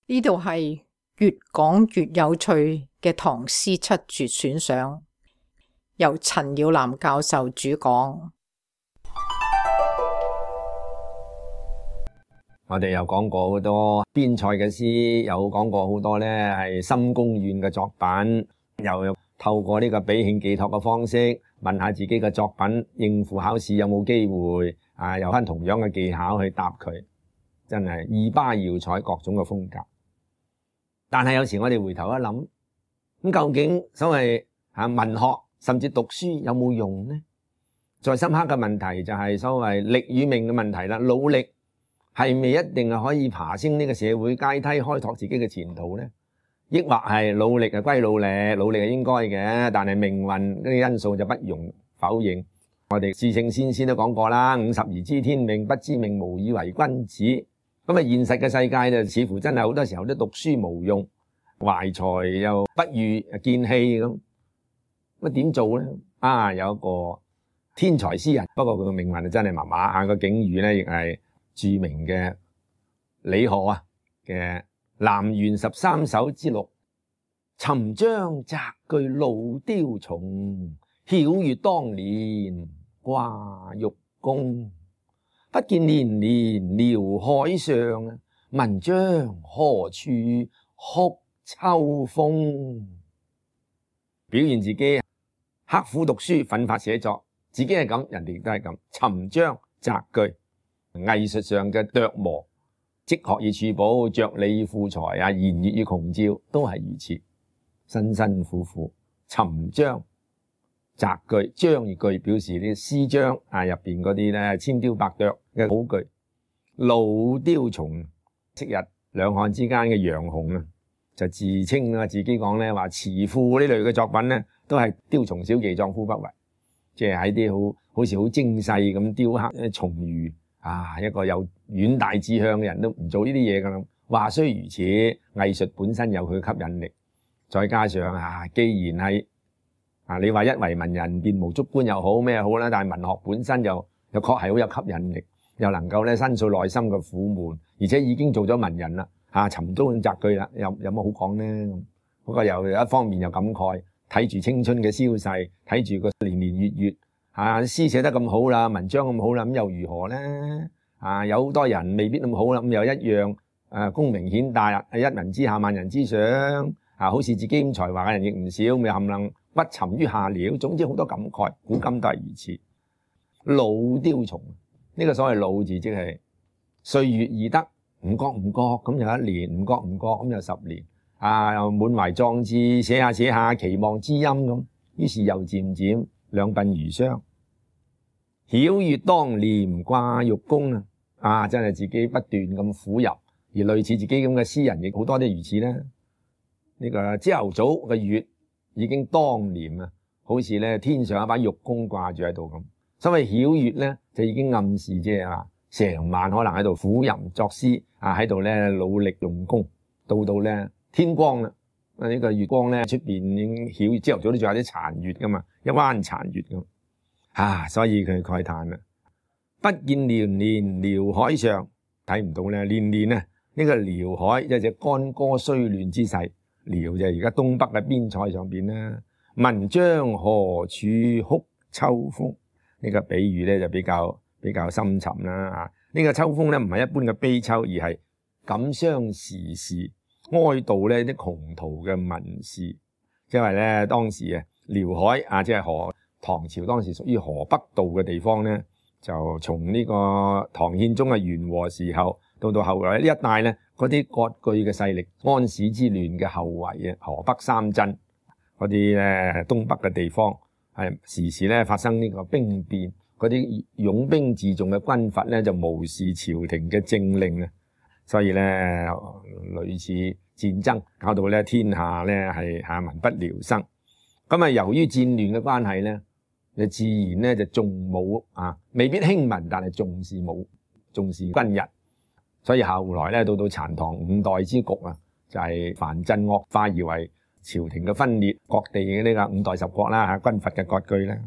呢度係越講越有趣嘅唐詩七絕選賞，由陳耀南教授主講。我哋又講過好多邊塞嘅詩，有講過好多呢係深宮怨嘅作品，又透過呢個比興寄託嘅方式問下自己嘅作品應付考試有冇機會啊，有翻同樣嘅技巧去答佢，真係二巴耀采各種嘅風格。但係有時我哋回頭一諗，咁究竟所謂文學甚至讀書有冇用呢？再深刻嘅問題就係所謂力與命嘅問題啦。努力係咪一定係可以爬升呢個社會階梯，開拓自己嘅前途呢？抑或係努力係歸努力，努力係應該嘅，但係命運呢啲因素就不容否認。我哋至聖先師都講過啦，50而知天命，不知命無以為君子。咁啊，現實嘅世界就似乎真係好多時候都讀書無用，懷才又不遇見棄咁。咁點做咧？有一個天才詩人，不過佢嘅命運真係麻麻，個境遇咧亦係著名嘅李賀嘅《南園13首之6》：尋章摘句老雕蟲，曉月當年掛玉弓。不見年年遼海上，文章何處哭秋風。表現自己刻苦讀書，奮發寫作，自己係咁，人哋都係咁。尋章摘句，藝術上嘅琢磨，積學以儲寶，着理以賦才言悅以窮召，都係如此，辛辛苦苦尋章摘句。章與句表示啲詩章入邊嗰啲咧千雕百琢嘅好句。老雕蟲，昔日兩漢之間嘅楊雄就自稱自己講咧話詞賦呢類嘅作品咧都係雕蟲小技，壯夫不為，即係喺啲好似好精細咁雕刻蟲魚一個有遠大志向嘅人都唔做呢啲嘢噶啦。話雖如此，藝術本身有佢嘅吸引力，再加上既然係你話一為文人便無足觀又好咩好啦，但係文學本身又確係好有吸引力，又能夠咧申訴內心嘅苦悶，而且已經做咗文人啦，尋章摘句啦，有乜好講呢？不過又一方面又感慨，睇住青春嘅消逝，睇住個年年月月詩寫得咁好啦，文章咁好啦，咁又如何呢？有好多人未必咁好啦，咁又一樣功名顯大，一人之下萬人之上，好似自己咁才華嘅人亦唔少，咪冚唪唥屈沉於下了。總之好多感慨，古今都係如此。老雕蟲，呢個所謂老字即係歲月易得，唔覺唔覺咁又1年，唔覺唔覺咁又10年，又滿懷壯志，寫下寫下期望知音咁，於是又漸漸兩鬢如霜。曉月當年掛玉弓真係自己不斷咁苦游，而類似自己咁嘅詩人亦好多啲如此啦。呢個朝頭早嘅月已經當年好似咧天上一把玉弓掛住喺度咁。所謂曉月咧，就已經暗示即係成晚可能喺度苦吟作詩喺度咧努力用功，到咧天光啦，呢個月光咧出邊已經曉，朝頭早都仲有啲殘月噶嘛，一彎殘月咁所以佢慨嘆啦，不見年年遼海上，睇唔到咧年年呢個遼海即係隻干戈衰亂之勢，遼就係而家東北嘅邊塞上邊啦。文章何處哭秋風，呢個比喻咧就比較深沉啦。呢個秋風咧唔係一般嘅悲秋，而係感傷時事，哀悼咧啲窮途嘅民事。因為咧當時遼海即係唐朝當時屬於河北道嘅地方咧，就從呢個唐憲宗嘅元和時候到後來呢一帶咧，嗰啲割據嘅勢力，安史之亂嘅後遺河北三鎮嗰啲咧東北嘅地方時時咧發生呢個兵變，嗰啲擁兵自重嘅軍閥咧就無視朝廷嘅政令所以咧類似戰爭搞到咧天下咧係民不聊生。咁由於戰亂嘅關係咧，就自然咧就重武未必輕文，但係重視武，重視軍人。所以後來咧到殘唐5代之局就係藩鎮惡化而為朝廷嘅分裂，各地嘅呢個5代10國啦軍閥嘅割據啦。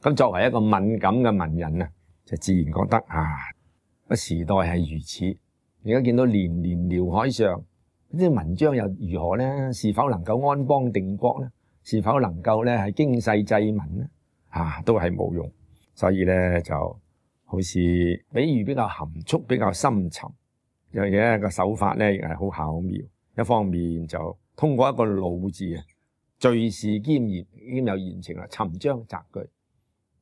咁作為一個敏感嘅文人就自然覺得個時代係如此。而家見到年年遼海上，啲文章又如何呢？是否能夠安邦定國呢？是否能夠咧係經世濟民呢？都係冇用。所以咧就好似比喻比較含蓄，比較深沉，又嘅一個手法咧亦係好巧妙。一方面就通過一個魯字啊，敘事兼有言情啦，尋章摘句。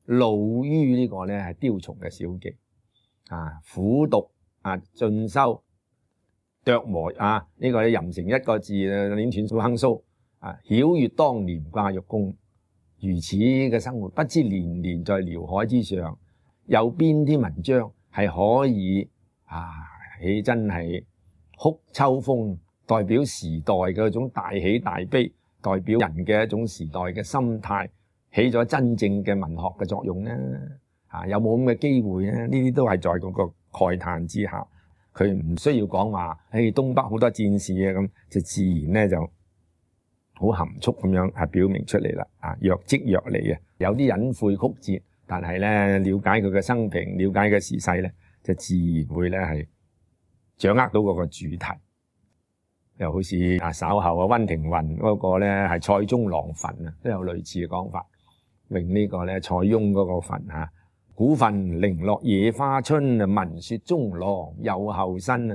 魯於呢個咧係雕蟲嘅小技苦讀進修琢磨呢個吟成一個字捻斷數亨蘇曉閱當年掛玉弓。如此嘅生活，不知年年在遼海之上，有邊啲文章係可以起真係哭秋風，代表時代嘅一種大喜大悲，代表人嘅一種時代嘅心態，起咗真正嘅文學嘅作用呢？有冇咁嘅機會呢？呢啲都係在嗰個慨嘆之下，佢唔需要講話東北好多戰事咁，就自然咧就好含蓄咁樣係表明出嚟啦。若即若離有啲隱晦曲折，但係咧了解佢嘅生平，了解嘅時勢咧，就自然會咧係掌握到嗰個主題。又好似稍後溫庭筠嗰個咧係塞中郎墳都有類似嘅講法，詠呢個咧塞翁嗰個墳古墳零落野花春，聞說中郎有後身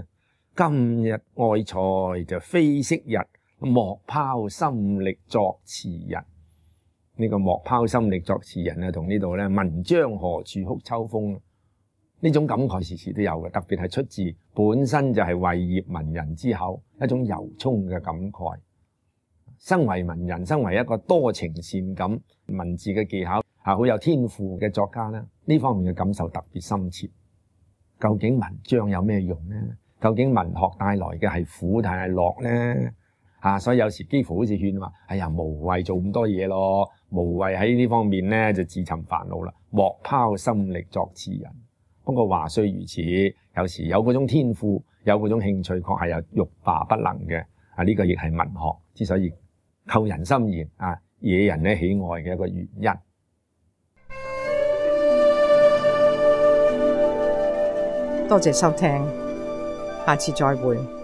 今日愛才就非昔日，莫拋心力作詞人。呢個莫拋心力作詞人同呢度咧文章何處哭秋風呢種感慨時時都有嘅，特別係出自本身就係為業文人之口，一種由衷嘅感慨。身為文人，身為一個多情善感文字嘅技巧好有天賦嘅作家咧，呢方面嘅感受特別深切。究竟文章有咩用呢？究竟文學帶來嘅係苦定係樂呢？所以有時幾乎好似勸話，哎呀，無謂做咁多嘢咯，無謂喺呢方面咧就自尋煩惱啦，莫拋心力作詞人。不過話雖如此，有時有嗰種天賦，有嗰種興趣，確係有欲罷不能嘅。呢個亦係文學之所以扣人心弦惹人咧喜愛嘅一個原因。多謝收聽，下次再會。